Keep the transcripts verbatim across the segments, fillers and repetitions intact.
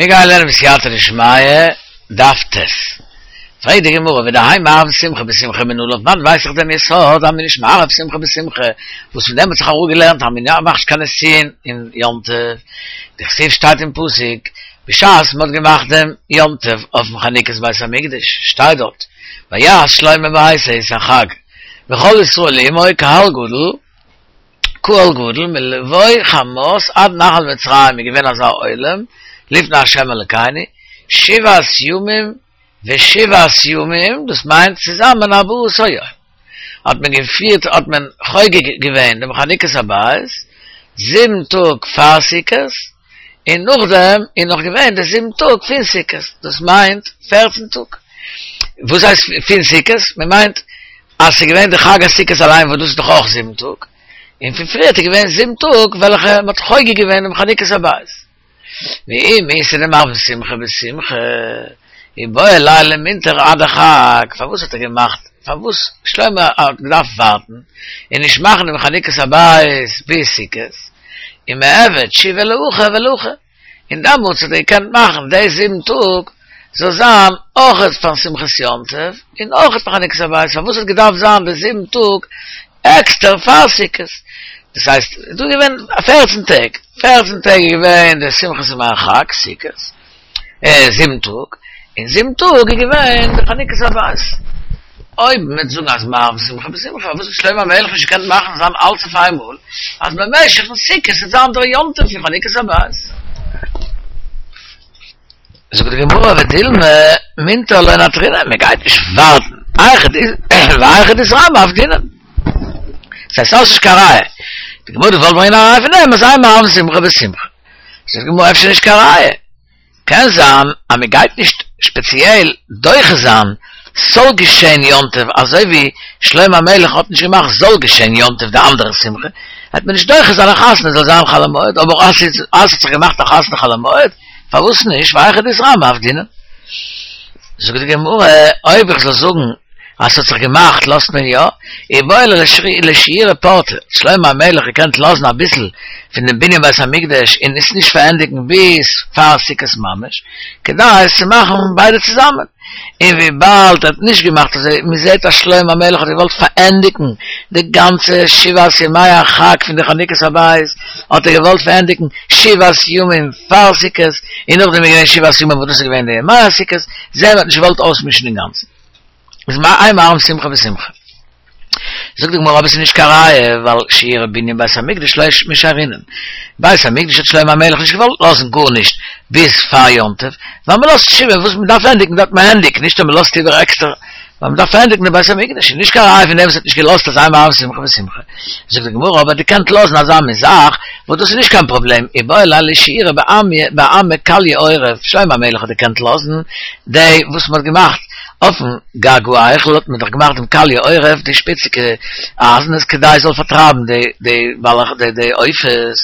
מיר גייען לערנען בסייעתא דשמיא, דף ט'. פרעגט די גמרא, ודהאי מערבין שמחה בשמחה מנא לן, פון וואנעט ווייס איך דעם יסוד אז מען איז נישט מערב שמחה בשמחה, וואס פון דעם האט זיך אראפגעלערנט אז מען מאכט נישט קיין נישואין אין יום טוב, דכתיב שטייט אין פסוק, בשעת מען האט געמאכט דעם יום טוב אויפן חנוכת בית המקדש, שטייט דארט, ויעש שלמה ביתו את החג, וכל ישראל עמו קהל גדול, קהל גדול מלבוא חמת עד נחל מצרים איז געווען אזא עולם לפני ה' אלקינו שבעת ימים ושבעת ימים דאס מיינט צוזאמען ארבעה עשר יום האט מען געפירט האט מען חוגג געווען דעם חנוכת הבית זיבן טאג פאר סוכות און נאכדעם איז נאך געווען די זיבן טאג פון סוכות דאס מיינט פערצן טאג וואס הייסט פון סוכות מען מיינט אז ס'איז געווען די חג הסוכות אליין וואס דאס איז דאך אויך זיבן טאג, און פון פריערט איז געווען זיבן טאג וועלכע מ'האט חוגג געווען דעם חנוכת הבית. ואי איתא דמערבין שמחה בשמחה, איבעי ליה למינטר עד החג, פארוואס האט ער געמאכט, פארוואס שלמה האט געדארפט ווארטן און נישט מאכן דעם חנוכת הבית ביז סוכות, ומיעבד שבעה להכא ולהכא. און דעמאלטס האט ער געקענט מאכן די זיבן טאג זאל זיין אויכעט פאר שמחת יום טוב און אויכעט פאר חנוכת הבית, פארוואס האט געדארפט זיין די זיבן טאג עקסטער פאר סוכות? דאס הייסט איז דא געווען פערצן טעג, פערצן טעג איז געווען די שמחת ימי החג, סוכות, זיבן טאג, און זיבן טאג איז געווען די חנוכת הבית. אויב מ'וועט זאגן אז מערבין שמחה בשמחה, פארוואס האט שלמה המלך נישט געקענט מאכן זיין אלץ אויף איינמאל, אז במשך פון סוכות וועט זיין דער יום טוב פון חנוכת הבית? זאגט די גמרא ודילמא מינטר לא נטרינן, מ'גייט נישט ווארטן, והיכא דאיתרמי עבדינן. ס'הייסט ס'איז נישט קיין ראיה. די גמרא האט געוואלט ברענגען א ראיה פון דעם אז אין מערבין שמחה בשמחה. זאגט די גמרא אפשר נישט קיין ראיה. קען זיין אז מען גייט נישט שפעציעל דוחה זיין ס'זאל געשען יום טוב אזוי ווי שלמה המלך האט נישט געמאכט זאל געשען יום טוב די אנדערע שמחה וועט מען נישט דוחה זיין א חתונה זאל זיין חול המועד אבער אז ס'האט זיך געמאכט א חתונה חול המועד פארוואס נישט והיכא דאיתרמי עבדינן זאגט די גמרא אויב איך זאל זאגן אז ס'האט זיך געמאכט לאזט מען יא, איבעי ליה לשיורי פורתא, האט שלמה המלך געקענט לאזן אביסל פון דעם בנין בית המקדש און עס נישט פארענדיגן ביז פאר סוכות ממש, כדי עס צו מאכן ביידע צוזאמען, און וויבאלד ער האט נישט געמאכט אזוי, מען זעט אז שלמה המלך האט געוואלט פארענדיגן די גאנצע שבעת ימי החג פון די חנוכת הבית, האט ער געוואלט פארענדיגן שבעת ימים פאר סוכות, און נאכדעם איז געווען שבעת ימים וואס דאס איז געווען די ימי הסוכות, זעהן מיר האט נישט געוואלט אויסמישן אינגאנצן. איז אין מערבין שמחה בשמחה. זאגט די גמרא אבער עס איז נישט קיין ראיה ווייל שיורי בנין בית המקדש לא משיירינן. בית המקדש האט שלמה המלך נישט געוואלט לאזן גארנישט ביז פאר יום טוב, ווייל מען לאזט שבעה וואס מען דארף ענדיגן דארף מען ענדיגן, נישט אז מען לאזט איבער עקסטער ווייל מען דארף פארענדיגן די בית המקדש, איז נישט קיין ראיה פון דעם וואס האט נישט געלאזט אז אין מערבין שמחה בשמחה. זאגט די גמרא אבער דו קענט לאזן אזא מין זאך וואס דאס איז נישט קיין פראבלעם, איבעי ליה לשיורי בעמא כליא עורף, שלמה המלך האט געקענט לאזן די וואס מען האט געמאכט אויפן גג ההיכל האט מען דאך געמאכט דעם כליא עורף די שפיציגע אייזנעס כדי עס זאל פארטרייבן די די די די עופות,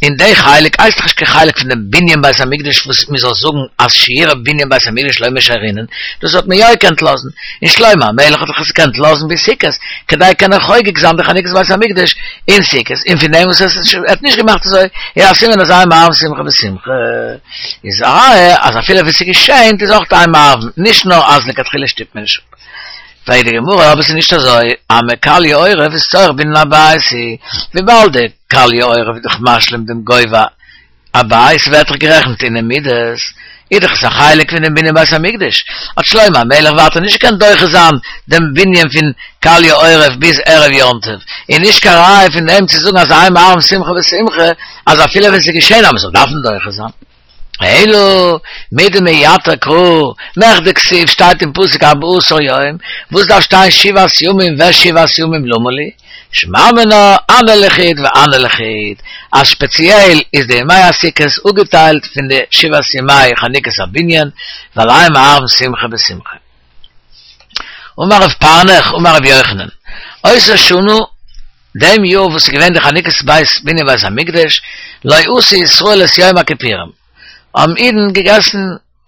און די חלק הייסט דאך נישט קיין חלק פון דעם בנין בית המקדש וואס מען זאל זאגן אז שיורי בנין בית המקדש לא משיירינן, דאס האט מען יא געקענט לאזן, און שלמה המלך האט דאך עס געקענט לאזן ביז סוכות כדי קענען חוגג זיין די חנוכת בית המקדש אין סוכות, און פון דעם וואס עס האט נישט געמאכט אזוי איז א סימן אז אין מערבין שמחה בשמחה. איז א ראיה אז אפילו ווען ס'געשענט איז אויך אין מערבין, נישט נאר אז לכתחילה שטופט מען נישט אפ. פרעגט די גמרא אבער ס'איז נישט אזוי, עמא כליא עורף איז צורך בנין הבית הוא, וויבאלד די כליא עורף איז דאך משלים דעם גובה הבית ווערט דאך גערעכנט אינעם מידות, איז דאך עס א חלק פון דעם בנין בית המקדש, האט שלמה המלך ווייטער נישט געקענט דוחה זיין דעם בנין פון כליא עורף ביז ערב יום טוב, און נישט קיין ראיה פון דעם צו זאגן אז אין מערבין שמחה בשמחה, אז אפילו ווען ס'איז געשען אז מ'זאל דארפן דוחה זיין. אלא מדמייתר קרא, מכדי כתיב שטייט אין פסוק ארבעה עשר יום, וואס דארף שטיין שבעת ימים ושבעת ימים למה לי? שמע מינה הני לחוד והני לחוד, אז שפעציעל איז די ימי הסוכות אפגעטיילט פון די שבעת ימי חנוכת הבנין, ווייל אין מערבין שמחה בשמחה. אמר רב פענח אמר רבי יוחנן, אותה שנה, דעם יאר וואס איז געווען די חנוכת בית בנין בית המקדש, לא עשו ישראל את יום הכיפורים, האבן אידן געגעסן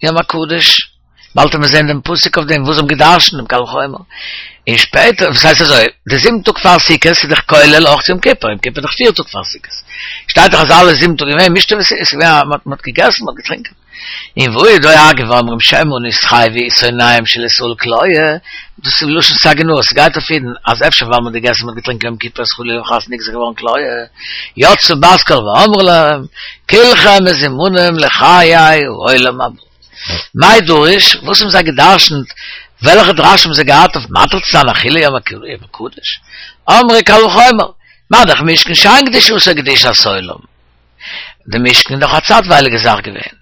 יום הקדוש באלד וועט מען זען דעם פסוק אויף דעם, וואס זיי האבן געדרשנט דעם קל וחומר. און שפעטער, וואס הייסט אזוי, די זיבן טאג פאר סוכות איז דאך כולל אויך יום כיפור, יום כיפור איז דאך פיר טאג פאר סוכות. שטייט דאך אז אלע זיבן טאג געווען משתה וואס איז געווען, מען האט געגעסן, מען האט געטרינקען. און והוא דואגים ואומרים שמא נתחייבו שונאיהם של ישראל כליה, דאס איז לשון סגי נהור, ס'גייט אויף אידן אז אפשר ווייל מען האט געגעסן מען האט געטרינקען יום כיפור איז חלילה וחס נגזר געווארן כליה, יצאה בת קול ואמרה להם, כולכם מזומנים לחיי העולם הבא. מאי דרוש, וואס האבן זיי געדרשנט, וועלכע דרש האבן זיי געהאט אויף מתיר צו זיין אכילה יום הקדוש? אמרי קל וחומר, מה דאך משכן שאין קדושתו קדושת עולם. די משכן איז דאך א צייטווייליגע זאך געווען,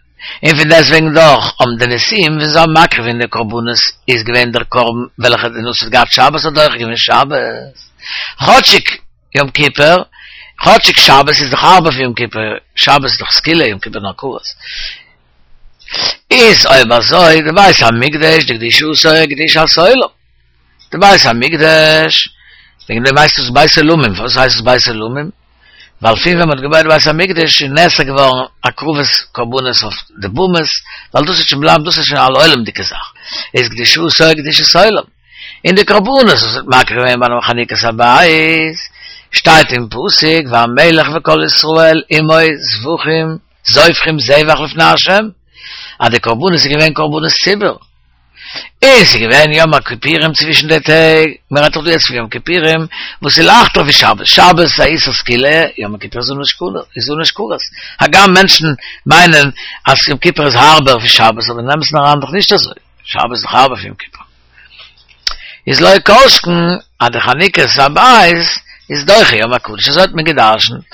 און פון דעסטוועגן דאך האבן די נשיאים ווען זיי האבן מקריב געווען די קרבנות איז געווען דער קרבן וועלכע די נשיא האט געהאט שבת האט דוחה געווען שבת, כאטשיג יום כיפור, כאטשיג שבת איז דאך הארבער פון יום כיפור, שבת איז דאך סקילה, יום כיפור נאר כרת. איז אויב אזוי די בית המקדש דקדושתו קדושת עולם, די בית המקדש, וועגן דעם הייסט עס בית עולמים, פארוואס הייסט עס בית עולמים? ווייל פון ווען מען האט געבויט די בית המקדש איז נאסר געווארן הקרבת קרבנות אויף די במות, ווייל דאס איז שוין בלייבט דאס איז שוין א עולם'דיגע זאך, איז קדושתו קדושת עולם, און די קרבנות וואס מ'האט מקריב געווען ביים חנוכת הבית, שטייט אין פסוק והמלך וכל ישראל עמו זבחים זובחים זבח לפני ה', אז די קרבנות איז געווען קרבנות ציבור. און ס'איז געווען יום הכיפורים צווישן די טעג, מען רעדט דאך דא יעצט פון יום כיפורים וואס איז לייכטער ווי שבת, שבת איז א איסור סקילה, יום הכיפור איז עונש כרת, הגם מענטשן מיינען אז יום כיפור איז הארבער ווי שבת, אבער אין אמת'ן אריין דאך נישט אזוי, שבת איז דאך הארבער פון יום כיפור. איז לא כל שכן אז די חנוכת הבית איז דוחה יום הקדוש, אזוי האט מען גע'דרש'נט.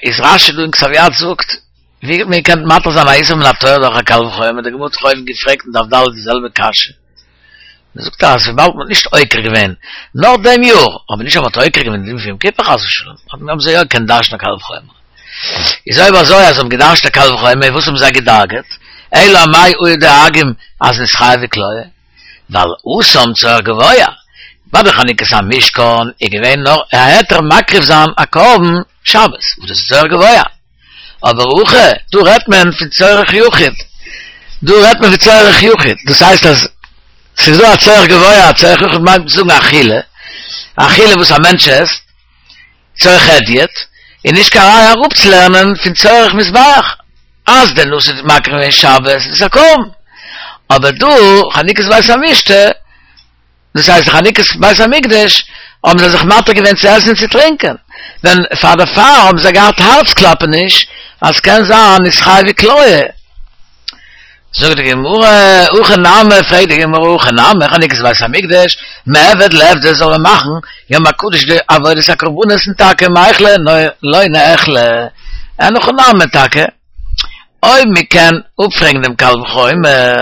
איז רשי דא אין כתב יד זאגט, ווי האט מען געקענט מתיר זיין א איסור מן התורה דורך א קל וחומר, די גמרא האט דאך אויבן געפרעגט אין דף ד' די זעלבע קשיא, מען זאגט אז וויבאלד מען האט נישט עוקר געווען נאר דעם יאר, אבער נישט אז מען האט עוקר געווען די דין פון יום כיפור חס ושלום, האבן זיי יא געקענט דרש'ן א קל וחומר. איז אויב אזוי אז זיי האבן געדרש'ט א קל וחומר, וואס האבן זיי געדאגה'ט? אלא אמאי היו דואגים אז נתחייבו כליה? ווייל התם צורך גבוה, ביי די חנוכת המשכן איז געווען נאר א היתר מקריב זיין א קרבן שבת, וואס דאס איז צורך גבוה, אבער הכא, דא רעדט מען פון צורך יחיד, דא רעדט מען פון צורך יחיד, דאס הייסט אז ס'איז דא א צורך גבוה, א צורך יחיד מיינט צו זאגן אכילה, אכילה וואס א מענטש עסט, צורך הדיוט, איז נישט קיין ראיה אראפצולערנען פון צורך מזבח, אז דער נשיא האט מקריב געווען שבת איז עס א קרבן, אבער דא חנוכת בית המשתה, דאס הייסט די חנוכת בית המקדש, האבן זיי זיך מתיר געווען צו עסן און צו טרינקען, ווען פאר דערפאר האבן זיי געהאט הארץ-קלאפעניש אז ס'קען זיין נתחייבו כליה. זאגט די גמרא, הכי נמי, פרעגט די גמרא, הכי נמי, חנוכת בית המקדש, מיעבד ליעבדא זאל מען מאכן יום הקדוש די עבודת הקרבנות און טאקע מיכלא לא ניאכלו, אין הכי נמי טאקע, אויב מען קען אפפרעגן דעם קל וחומר,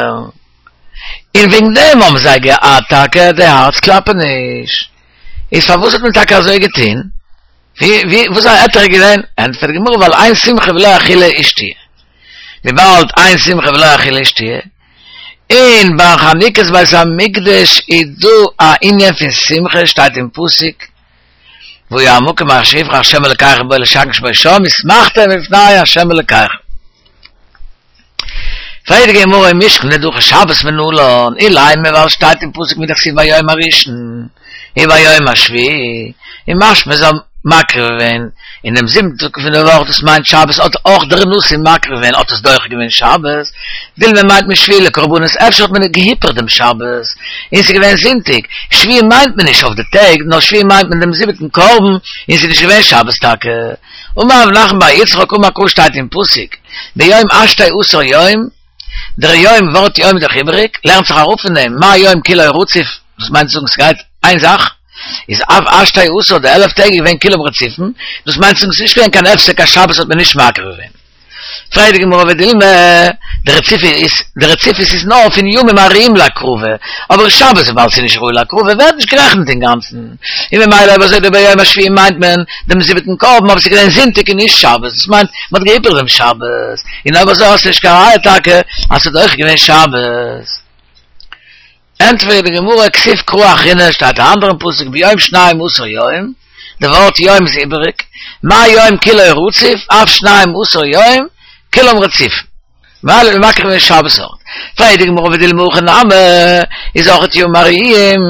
און וועגן דעם האבן זיי געהאט טאקע די הארץ קלאפעניש, איז פארוואס האט מען טאקע אזוי געטון? ווי ווי וואס איז א היתר געווען? ענטפערט די גמרא ווייל אין שמחה בלא אכילה ושתיה, וויבאלד אין שמחה בלא אכילה ושתיה, און ביי חנוכת בית המקדש איז דא א ענין פון שמחה שטייט אין פסוק והיה המקום אשר יבחר ה' אלקיכם בו לשכן שמו שם ושמחתם לפני ה' אלקיכם. פרעגט די גמרא ומשכן דדחה שבת מנלן, אילימא ווייל שטייט אין פסוק מדכתיב ביום הראשון וביום השביעי, און משמע זיי האבן מקריב געווען אין דעם זיבנטן טאג פון די וואך דאס מיינט שבת האט אויך דער נשיא מקריב געווען האט עס דוחה געווען שבת, דילמא מיינט מען שביעי לקרבנות אפשר האט מען געהיפערט דעם שבת און ס'איז געווען זונטאג, שביעי מיינט מען נישט אויף די טעג נאר שביעי מיינט מען דעם זיבעטן קרבן און ס'איז נישט געווען שבת טאקע. אמר רב נחמן בר יצחק אמר קרא שטייט אין פסוק ביום עשתי עשר יום, דער יום ווארט יום איז דאך איבעריג, לערנט זיך אראפ פון דעם מה יום כולו רציף, דאס מיינט צו זאגן ס'גייט איין זאך, איז אף עשתי עשר די עלף טעג איז געווען כולם רציפים, דאס מיינט צו זאגן ס'איז נישט געווען קיין הפסק אז שבת האט מען נישט מקריב געווען. פרעגט די גמרא ודילמא, די רציפות איז, די רציפות איז נאר פון ימים הראויים להקרבה, אבער שבת וויבאלד ס'איז נישט ראוי להקרבה ווערט נישט גערעכנט אינגאנצן, און ממילא אויב אזוי די ביום השביעי מיינט מען דעם זיבעטן קרבן אבער ס'איז געווען זונטאג און נישט שבת, דאס מיינט מ'האט געהיפערט דעם שבת, און אויב אזוי האסטו נישט קיין ראיה טאקע אז ס'איז אויך געווען שבת. ענטפערט די גמרא, כתיב קרא אחרינא, שטייט א אנדערן פסוק ביום שנים עשר יום, די ווארט יום איז איבעריג, מה יום כולו רציף, אף שנים עשר יום, כולם רציפים. ממילא האט מען מקריב געווען שבת אויך. פרעגט די גמרא ודילמא הכי נמי, איז אויך ימים הראויים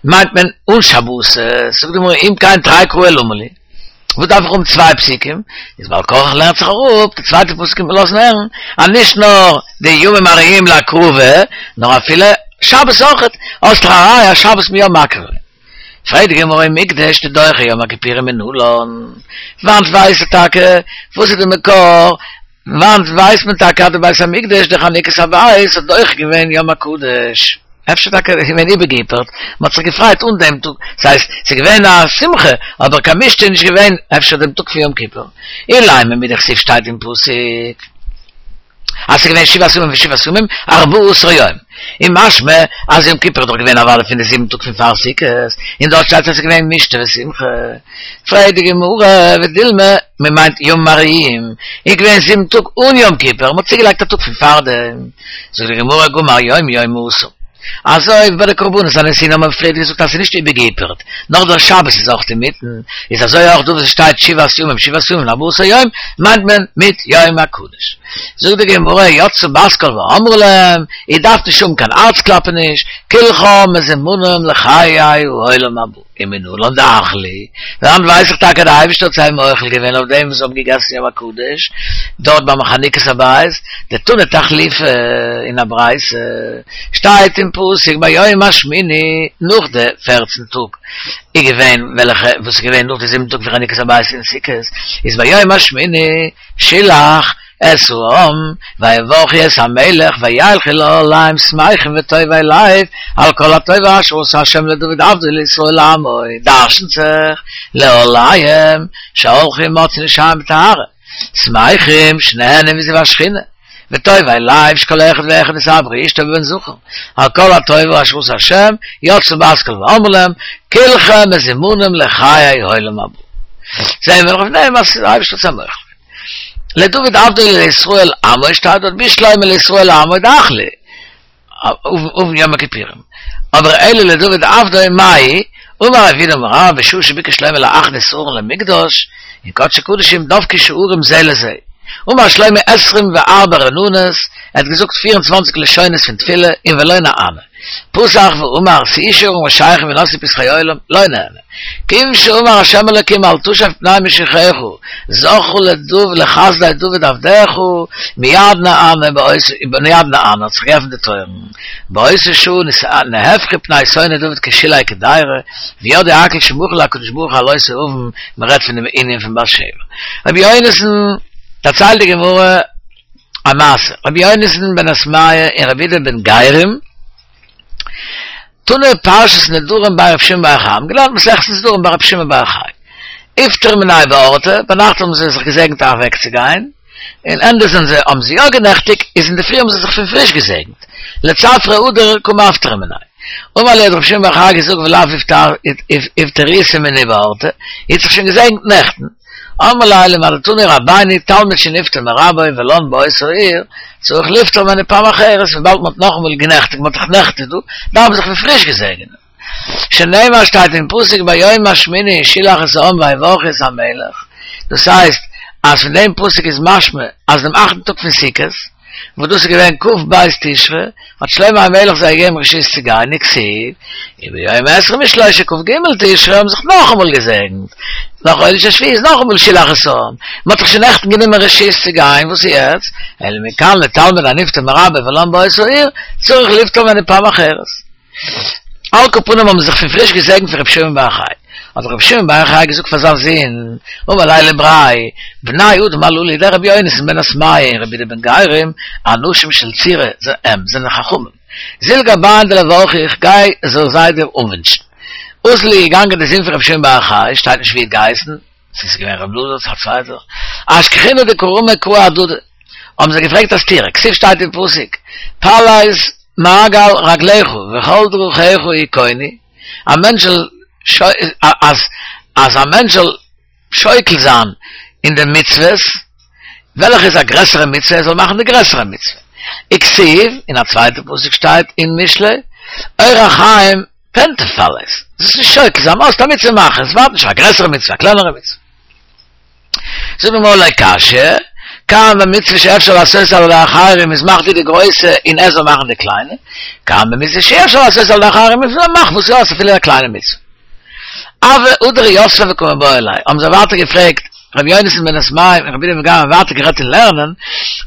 מיינט מען אן שבתות, זאגט די גמרא אם כן תרי קראי למה לי, וואס דארף איך האבן צוויי פסוקים, איז בעל כרחך לערנט זיך אראפ, די צווייטע פסוק קומט מען לאזן הערן אז נישט נאר די ימים הראויים להקרבה, נאר אפילו שבת אויך, האסט דאך א ראיה אז שבת מ'יא מקריב. פרעגט די גמרא ומקדש דדוחה יום הכיפורים מנלן, וואנט ווייסטו טאקע וואס איז די מקור, וואנט ווייסט מען טאקע אז די בית המקדש די חנוכת הבית האט דוחה געווען יום הקדוש? אפשר טאקע איז געווען איבערגעהיפערט, מען האט זיך געפרייט אן דעם טאג, ס'הייסט ס'איז געווען א שמחה אבער קיין משתה איז נישט געווען אפשר דעם טאג פון יום כיפור, אילימא מדכתיב שטייט אין פסוק אז ס'איז געווען שבעת ימים ושבעת ימים ארבעה עשר יום, און משמע אז יום כיפור איז דאך געווען אוודאי פון די זיבן טאג פון פאר סוכות, און דארט שטייט אז ס'איז געווען משתה ושמחה. פרעגט די גמרא, ודילמא, מען מיינט ימים הראויים, איז געווען זיבן טאג אן יום כיפור, מען האט צוגעלייגט א טאג פון פארדעם. זאגט די גמרא, גמר יום יום עשור. אזוי ווי ביי די קרבנות הנשיאים האבן מיר פריער געזאגט אז ס'איז נישט איבערגעהיפערט, נאר דער שבת איז אויך אינמיטן, איז אזוי אויך דא וואס עס שטייט שבעת ימים שבעת ימים ארבעה עשר יום, מיינט מען מיט יום הקדוש. זאגט די גמרא, יצתה בת קול ואמרה להם, איר דארפט נישט האבן קיין הארצקלאפעניש, כולכם מזומנים לחיי העולם הבא. ומנלן דאחלו, וואנעט ווייס איך טאקע דער אייבערשטער האט זיי מוחל געווען אויף דעם וואס זיי האבן געגעסן יום הקדוש דארט ביים חנוכת הבית, דתנא תחליפא אין א ברייתא שטייט אין פסוק ביום השמיני נאך די פערצן טאג איז געווען וועלכע וואס איז געווען נאך די זיבן טאג פון חנוכת הבית און סוכות איז ביום השמיני שילח את העם ויברכו את המלך וילכו לאהליהם שמחים וטובי לב על כל הטובה אשר עשה השם לדוד עבדו ולישראל עמו, דרש'נט זיך לאהליהם שהלכו ומצאו נשיהם בטהרה, שמחים שנהנו מזיו השכינה, וטובי לב שכל אחד ואחד נתעברה אשתו בבן זכר, על כל הטובה אשר עשה השם, יצתה בת קול ואמרה להם, כולכם מזומנים לחיי העולם הבא. זעהן מיר אויף דעם אז דער אייבערשטער האט זיי מוחל געווען. לדוד עבדו ולישראל עמו שטייט דארט בשלמא לישראל עמו דאחלו עון יום הכיפורים אבער אלא לדוד עבדו מאי אמר רב יהודה אמר רב בשעה שביקש שלמה להכניס ארון למקדש אין קדשי קדשים דבקו שערים זה לזה אמר שלמה עשרים וארבע רננות ער האט געזאגט פֿיר און צוואַנציק לשונות פון תפילה און ולא נענה פתח ואמר שאו שערים ראשיכם הנשאו פתחי עולם לא נענה כיוון שאמר השם אלוקים אל תשב פני משיחך זכרו לדוד לחסדי דוד עבדך מיד נענה מיד נענה האט זיך געעפנט די טויערן באותה שעה נהפכו פני שונאי דוד כשלהי קדירה וידעו הכל שמחל הקדוש ברוך הוא על אותו עון מען רעדט פון דעם ענין פון בת שבע רבי יונתן דערציילט די גמרא א מעשה רבי יונתן בן עסמיה און רבי יהודה בן גרים תנו פרשת נדרים בי רבי שמעון בר יוחאי, האבן געלערנט מסכת נדרים ביי רבי שמעון בר יוחאי. איפטרו מיניה באורתא, ביינאכט האבן זיי זיך געזעגנט אוועקצוגיין, און ענדע זענען זיי האבן זיי יא גענעכטיגט, איז אינדערפרי האבן זיי זיך פון פריש געזעגנט, לצפרא הדר קא מפטרי מיניה. אמר להו האט רבי שמעון בר יוחאי געזאגט ולאו איפטריתו מיני באורתא, איר האט זיך שוין געזעגנט נעכטן. אמרי ליה אלא מה דתנו רבינו תלמיד שנפטר מרבו ולן באותה העיר צריך ליפטר ממנו פעם אחרת וויבאלד מ'האט נאכאמאל גענעכטיגט מ'האט דאך נעכטיגט דא דארף מען זיך פון פריש געזעגענען שנאמר שטייט אין פסוק ביום השמיני שילח את העם ויברכו את המלך דאס הייסט אז פון דעם פסוק איז משמע אז דעם אכטן טאג פון סוכות וואס דאס איז געווען כ"ב תשרי, האט שלמה המלך זיי געגעבן רשות צו גיין, וכתיב, וביום עשרים ושלשה כ"ג תשרי האבן זיך נאכאמאל געזעגנט, נאך חודש השביעי איז נאכאמאל שילח את העם, מען האט דאך שוין נעכטן גענומען רשות צו גיין, וואס איז יעצט? אלא מכאן לתלמיד הנפטר מרבו ולן באותה העיר, צריך ליפטר ממנו פעם אחרת. על כל פנים האבן זיך פון פריש געזעגנט פון רבי שמעון בר יוחאי. האט רבי שמעון בר יוחאי געזאגט פאר זיין זון, אמר ליה לבריה, בני אדם הללו דער רבי יונתן בן עסמיה און רבי יהודה בן גרים, אנשים של צורה הם, זענען חכמים. זיל גבהון דליברכו, איך גיי זאל זיי דיר אנווינטשן. אזל איז געגאנגען דער זון פון רבי שמעון בר יוחאי, שטייט נישט ווי ער האט געהייסן, צו ס'איז געווען רבי אלעזר צו א צווייטער, אשכחינהו דקא רמו קראי אהדדי, האבן זיי געפרעגט א סתירה, כתיב שטייט אין פסוק, פלס מעגל רגליך וכל דרכיך יכונו, א מענטש זאל אז אז א מענטש זאל שוקל זיין אין די מצוות, וועלכע איז א גרעסערע מצוה, ער זאל מאכן די גרעסערע מצוה. וכתיב, אין א צווייטע פסוק שטייט אין משלי, אורח חיים פן תפלס, זאלסט נישט שוקל זיין, האסט א מצוה מאך עס, ווארט נישט אויף א גרעסערע מצוה, א קלענערע מצוה. זאגט די גמרא לא קשיא, כאן במצוה שאפשר לעשות על ידי אחרים, איז מאך דו די גרויסע און ער זאל מאכן די קליינע, כאן במצוה שאי אפשר לעשות על ידי אחרים, איז מאך וואס יא, אפילו א קליינע מצוה. הוו הדרי יתבי וקא מיבעיא להו, האבן זיי ווייטער געפרעגט, רבי יונתן בן מתמיה און רבי יהודה בן גרים האבן ווייטער גערעדט אין לערנען,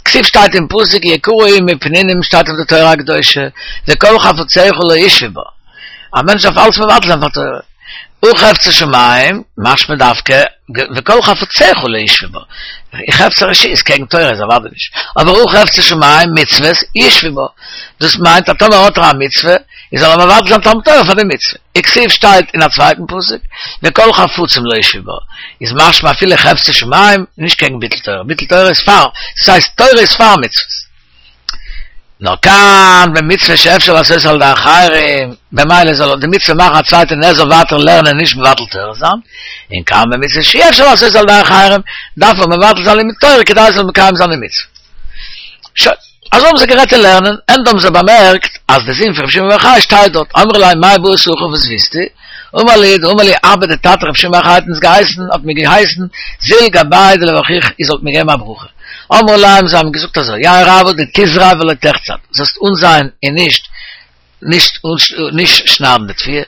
כתיב שטייט אין פסוק יקרה היא מפנינים שטייט אויף די תורה הקדושה, וכל חפציך לא ישוו בה, א מענטש דארף אלץ מבטל זיין פאר תורה, הא חפצי שמים, משמע דווקא, וכל חפציך לא ישוו בה, חפצי רשות קעגן תורה איז אוודאי נישט, אבער הא חפצי שמים, מצוות, ישוו בה, דאס מיינט אז טאמער האט ער א מצוה, איז זאל ער מבטל זיין תלמוד תורה פאר די מצוה. וכתיב שטייט אין א צווייטן פסוק, וכל חפצים לא ישוו בה, איז משמע אפילו חפצי שמים, נישט קעגן ביטול תורה, ביטול תורה איז פאר, דאס הייסט תורה איז פאר מצוות. נאר כאן במצוה שאפשר לעשות על ידי אחרים, במילא זאל ער די מצוה מאכן א צווייטער און ער זאל ווייטער לערנען נישט מבטל תורה זיין, און כאן במצוה שאי אפשר לעשות על ידי אחרים, דארף ער מבטל זיין לימוד תורה כדי ער זאל מקיים זיין די מצוה. שוין. אזוי האבן זיי גערעדט אין לערנען, ענדע האבן זיי באמערקט אז די זון פון רבי שמעון בר יוחאי שטייט דארט, אמרו ליה מאי בעית הכא וואס ווילסטו? אמר להו דאמר לי אבא די טאטע רבי שמעון בר יוחאי האט אונז געהייסן האט מיר געהייסן זיל גבאי דלברכוך איר זאלט מיר געבן א ברכה, אמרו ליה זיי האבן געזאגט אזוי יהא רעוא דתזרע ולא תחצד זאלסט אנזייען און נישט נישט נישט שניידן די תבואה,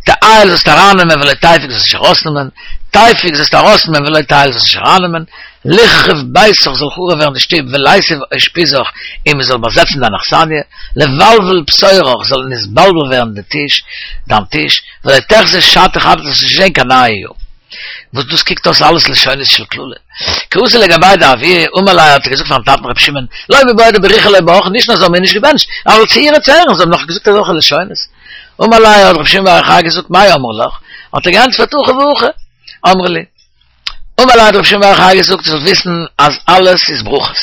תעייל זאלסטו ארייננעמען ולא תפיק זאלסט נישט ארויסנעמען, תפיק זאלסטו ארויסנעמען ולא תעייל זאלסט נישט ארייננעמען, ליחרב ביתך זאל חרוב ווערן די שטוב וליתיב אושפיזך און מען זאל באזעצן דיין אכסניא, לבלבל פתורך זאל נתבלבל ווערן די טיש, דיין טיש, ולא תחזי שתא חדתא זאלסט נישט זען קיין נייע יאר. וואס דאס קוקט אויס אלעס לשונות של קללה. כי אתא לגביה דאבוה, אמר ליה האט ער געזאגט פארן טאטן רבי שמעון, לא מיבעיא דבריכו לא ברכו, נישט נאר זיי האבן מיר נישט געבענטשט, אבל צעורי צערן, זיי האבן נאך געזאגט אזעלכע לשונות. אמר ליה האט רבי שמעון בר יוחאי געזאגט מאי אמרו לך, האט ער געענטפערט הכי והכי אמרו לי. אמר ליה האט רבי שמעון בר יוחאי געזאגט זאלסט וויסן אז אלעס איז ברכות,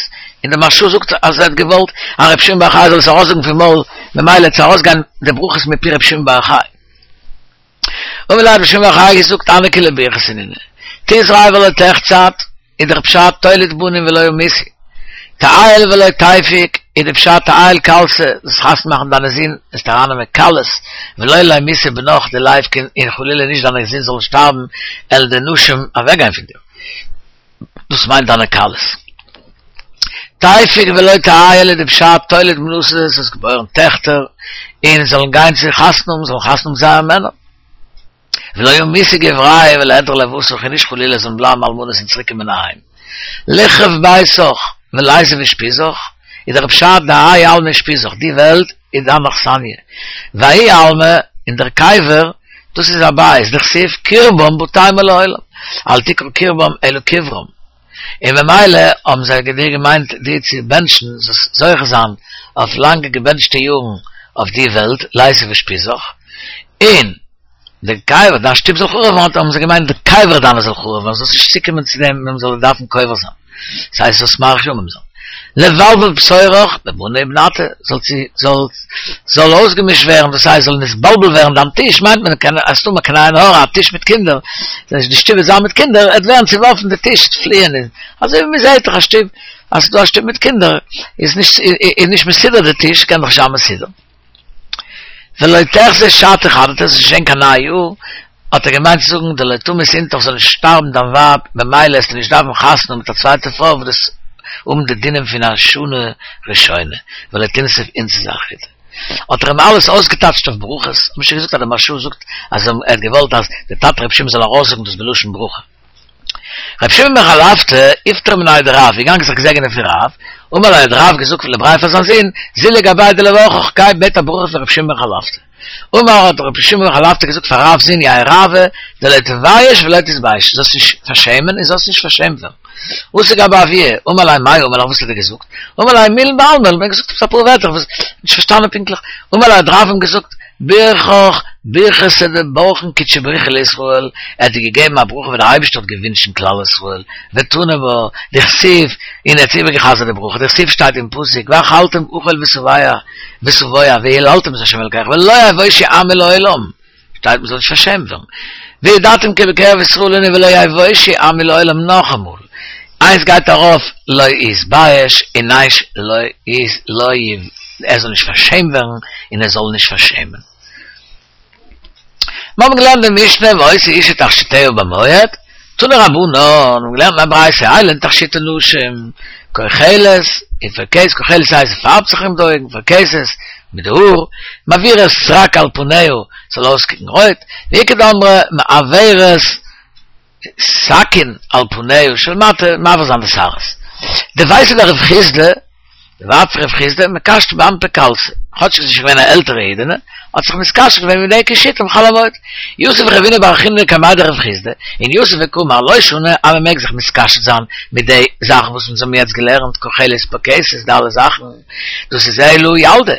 און דער מהרש"א זאגט אז ער האט געוואלט אז רבי שמעון בר יוחאי זאל עס ארויסזאגן פון מויל, ממילא וועט עס ארויסגיין די ברכות מפי רבי שמעון בר יוחאי. אמר ליה האט רבי שמעון בר יוחאי געזאגט הני כולהו ברכתא נינהו, תזרע ולא תחצד, איז דער פשט תוליד בנים ולא ימותו, תעייל ולא תפיק, איז דער פשט תעייל כלתא, זאלסט חתונה מאכן דיינע זין, זאלסט ארייננעמען כלות, ולא לימותו בניך דליפקו, און חלילה נישט דיינע זין זאלן שטארבן, וועלן די נשים אוועקגיין פון דיר. דאס מיינט דיינע כלות. תפיק ולא תעייל איז די פשט תוליד בנתא זאלסט געבוירן טעכטער און זאלן גיין צו חתונה האבן, זאלן חתונה האבן זייער מענער. ולא ימותו גברייהו וליהדרו לותך און נישט חלילה זאלן בלייבן אלמנות און צוריק קומען אהיים. ליחרב ביתך וליתיב אושפיזך איז דער פשט דהאי עלמא אושפיזך די וועלט איז דיין אכסניא וההוא עלמא און דער קבר דאס איז א בית דכתיב קרבם בתי לעולם אל תקרא קרבם אלא קברם און ממילא האבן זיי דיר געמיינט דיר צו בענטשן זאלסט זוכה זיין אויף לאנגע געבענטשטע יארן אויף די וועלט ליתיב אושפיזך און די קבר, דיין שטוב זאל חרוב ווערן, האבן זיי געמיינט די קבר דיינע זאל חרוב ווערן, זאלסט נישט צוקומען צו דעם ווען מען זאל דיר דארפן קובר זיין, דאס הייסט זאלסט מאריך ימים זיין. לבלבל פתורך בבני ובנתא, זאל צו, זאל, זאל אויסגעמישט ווערן, דאס הייסט זאל נתבלבל ווערן דיין טיש, מיינט מען קען אז ס'דא קיין עין הרע א טיש מיט קינדער, די שטוב וועט זיין מיט קינדער, עט ווערן צעווארפן די טיש, עט פליען, אזוי ווי מען זעט דאך א שטוב, אז ס'דא א שטוב מיט קינדער, איז נישט, איז נישט מסודר די טיש, קען דאך נישט זיין מסודר. ולא תחזי שתא חדתא זאלסט נישט זען קיין נייע יאר, האט ער געמיינט צו זאגן דלא תמות אינתך זאל נישט שטארבן דיין ווייב, ממילא עסטו נישט דארפן חתונה האבן מיט א צווייטע פרוי וואס דאס האבן די דינים פון א שנה ראשונה, ולא תנסיב אינתתא אחריתי. האט ער אים אלעס אויסגעטייטשט אויף ברכות, האט מען שוין געזאגט אז דער מהרש"א זאגט אז ער האט געוואלט אז דער טאטע רבי שמעון זאל ארויסזאגן דאס בלשון ברכה. רבי שמעון בן חלפתא, איפטר מיניה דרב, איז געגאנגען זיך געזעגענען פון רב, אמר ליה האט רב געזאגט לבריה פאר זיין זון, זיל לגביה דלברכך, גיי בעט א ברכה פון רבי שמעון בן חלפתא. אמר האט רבי שמעון בן חלפתא געזאגט פאר רב'ס זון יהא רעוא דלא תבייש ולא תתבייש, זאלסט נישט פארשעמען און זאלסט נישט פארשעמט ווערן. אתא גבי אבוה, אמר ליה מאי אמר לך וואס האט ער געזאגט? אמר ליה מילין בעלמא, ער האט געזאגט עפעס אפאר ווערטער, כ'האב נישט פארשטאנען פונקטליך, אמר ליה האט רב אים געזאגט, ברכך ברכתא דברכין קודשא בריך הוא לישראל, ער האט דיר געגעבן א ברכה ווי דער אייבערשטער האט געווינטשן כלל ישראל, ותנא בה, דכתיב, און ער האט איבערגעחזרט די ברכה, דכתיב שטייט אין פסוק, ואכלתם אכול ושבע ושבוע והיללתם את ה' אלקיכם ולא יבושו עמי לעולם, שטייט מ'זאל נישט פארשעמט ווערן, וידעתם כי בקרב ישראל אני ולא יבושו עמי לעולם נאכאמאל, איינס גייט ארויף לא יתבייש און איינס לא לא ער זאל נישט פארשעמט ווערן און ער זאל נישט פארשעמען. מיר האבן געלערנט די משנה והיתה אשה תכשיטיה במועד, תנו רבנן, מיר האבן געלערנט אין א ברייתא אלו הן תכשיטי נשים, כוחלת, און פרכסת, כוחלת הייסט זי פארבט זיך ארום די אויגן, פרכסת, מיט די האר, מעבירה סרק על פניה, ס'זאל אויסקוקן רויט, ואיכא דאמרי מעברת סכין על פניה של מטה, מעביר זיין די שערות. דביתהו דרב חסדא, די ווייב פון רב חסדא, מקשטא באנפי קלתא, כאטש זי איז שוין געווען א עלטערע אידענע, האט זיך מתקשט געווען מיט די קישוטים חול המועד. יתיב רבינא בר חיננא קמיה דרב חסדא, און יתיב וקאמר לא שנו אז מען מעג זיך מתקשט זיין מיט די זאכן וואס אונז האבן יעצט געלערנט, כוחלת פרכסת, די אלע זאכן, דאס איז אלא ילדה.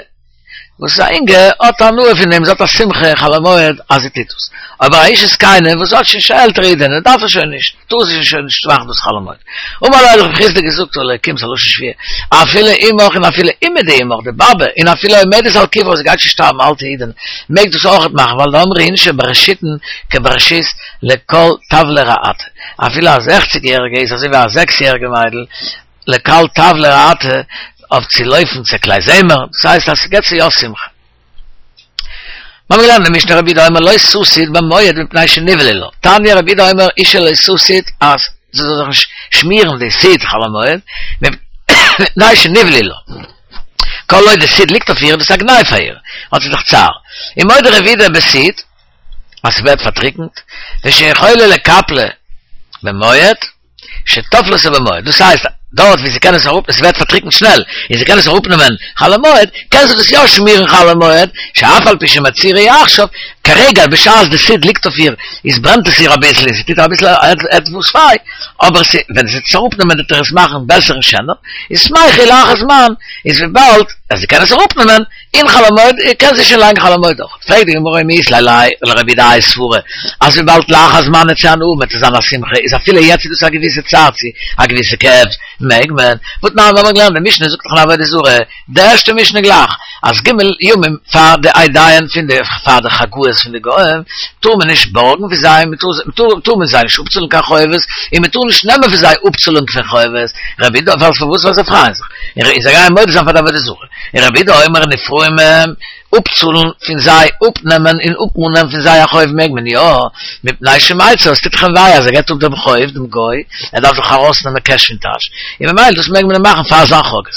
וואס איז א אינגע האט הנאה פון דעם, זי האט א שמחה חול המועד אז זי טוט דאס. אבער א אשה זקנה וואס האט שוין שוין עלטערע אידענע דארף עס שוין נישט, טאר זי שוין נישט מאכן דאס חול המועד. אמר ליה האט רב חסדא געזאגט אלקים ס'א לשון שבועה, אפילו אמך און אפילו אימא דאמך די באבע און אפילו עומדת על קברה זי גייט שוין שטארבן אלטע אידענע מעג דאס אויכעט מאכן ווייל דאמרי אינשי ברשיתין כברשית לקול טבלא רעתא אפילו א זעכציג יעריגע איז אזוי ווי א זעקס יעריגע מיידל לקול טבלא רעתא אויף צו לויפן צו כלי זמר, דאס הייסט אז ס'געט צו יא שמחה. מיר האבן געלערנט אין משנה רבי יהודה אומר לא תסיד במועד מפני שנבעלה לה, תניא רבי יהודה אומר אשה לא תסיד אז זי זאל זיך נישט שמירן די סיד חול המועד מפני שנבעלה לה, כל עוד די סיד ליגט אויף איר איז דאס א גנאי פאר איר, האט זי דאך צער. ומודה רבי יהודה בסיד אז ס'ווערט פארטריקנט, ושיכולה לקפלה במועד, שתפלתה במועד, דאס הייסט, דארט ווי זי קען עס אראפ, עס ווערט פארטריקנט שנעל, און זי קען עס אראפנעמען חול המועד, קען זי דאס יא שמירן חול המועד, שאף על פי שמצהירה היא עכשיו, כרגע בשעת די סיד ליגט אויף איר, איז ברענט עס איר אביסל און ס'טוט איר אביסל עטוואס וויי, אבער ווען זי וועט עס אראפנעמען וועט ער עס מאכן בעסער און שענער, איז שמחה היא לאחר זמן, איז וויבאלד אז זי קען עס אראפנעמען, אין חול המועד קען זי שוין לייגן חול המועד אויך. פרעגט די גמרא ומי אית ליה לרבי יהודה האי סברא אז וויבאלד לאחר זמן וועט זי הנאה האבן וועט עס זיין א שמחה איז אפילו יעצט איז דאס א געוויסע צער צו א געוויסע כאב מעג מען. והתנן מיר האבן געלערנט די משנה זאגט דאך אין עבודה זרה די ערשטע משנה גלייך אז ג' ימים פאר די אידיים פון די פאר די חגאות פון די גוים טאר מען נישט בארגן פון זיי מען טאר טאר מען זיי נישט אפצאלן קיין חובות און מען טאר נישט נעמען פון זיי אפצאלונג פון חובות רבי יהודה ווייל פארוואס ווייל זיי פרייען זיך און זיי גייען מודה זיין פאר די עבודה זרה. און רבי יהודה אומר נפרעים הם, אפצאלן פון זיי, אפנעמען און אפמאנען פון זיי א חוב מעג מען יא, מפני שמיצר, עס טוט דאך אים וויי אז ער געבט אפ דעם חוב דעם גוי, ער דארף דאך ארויסנעמען קעש פון טאש, און ממילא דאס מעג מען אים מאכן פאר זיין חגאות.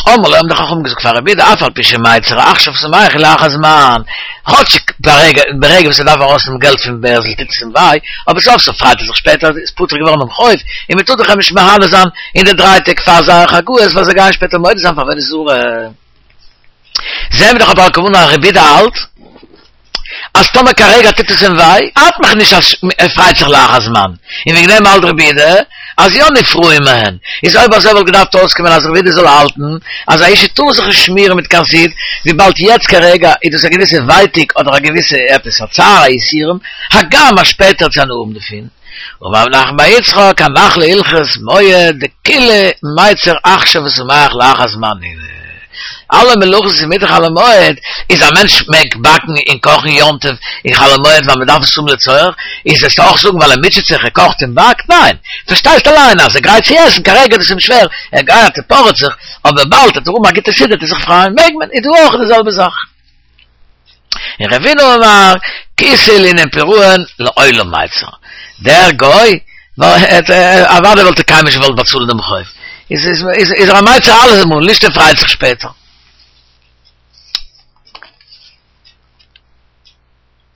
אמרו לו האבן די חכמים געזאגט פאר רבי יהודה אף על פי שמיצר עכשיו שמח הוא לאחר זמן, כאטשיג ברגע ברגע וואס ער דארף ארויסנעמען געלט פון בערזל טוט עס אים וויי, אבער סוף סוף פרייט ער זיך שפעטער אז איז פטור געווארן דעם חוב, און מען טאר דאך אים נישט מהנה זיין אין די דריי טעג פאר זייער חגאות ווייל זיי גייען שפעטער מודה זיין פאר עבודה זרה. זעהן מיר דאך אבער על כולנה אז רבי יהודה האלט אז טאמער כרגע טוט עס אים וויי, ארט מיך נישט אז ער פרייט זיך לאחר זמן, און וועגן דעם האלט רבי יהודה אז יא נפרעים מהן, איז אויב אזוי וואלט געדארפט אויסקומען אז רבי יהודה זאל האלטן אז א אישה טאר זיך נישט שמירן מיט קיין סיד, וויבאלד יעצט כרגע איז דאס א געוויסע ווייטיג אדער א געוויסע עפעס א צער א יסורים, הגם אז שפעטער וועט זי הנאה האבן דערפון. אמר רב נחמן בר יצחק, הנח להלכות מועד דכולהו מיצר עכשיו ושמח לאחר זמן נינהו. אלע מלאכות וואס איז מותר חול המועד, איז א מענטש מעג באקן און קאכן יום טוב אין חול המועד ווייל מען דארף עס האבן לצורך, איז וועסטו אויך זאגן ווייל ער מוטשעט זיך ער קאכט און באקט? ניין, פארשטייסט אליין אז ער גרייט צו עסן, כרגע איז עס אים שווער, ער גייט ער פארעט זיך, אבער באלד וועט ער האבן א גוטע סעודה וועט ער זיך פרייען, מעג מען, איז דא אויך די זעלבע זאך. און רבינא אמר, כיסוי לענין פירעון לעולם מיצר, דער גוי, אוודאי וואלט ער קיינמאל נישט געוואלט באצאלן דעם חוב, איז איז איז ער א מיצר אלעמאל, נישט ער פרייט זיך שפעטער.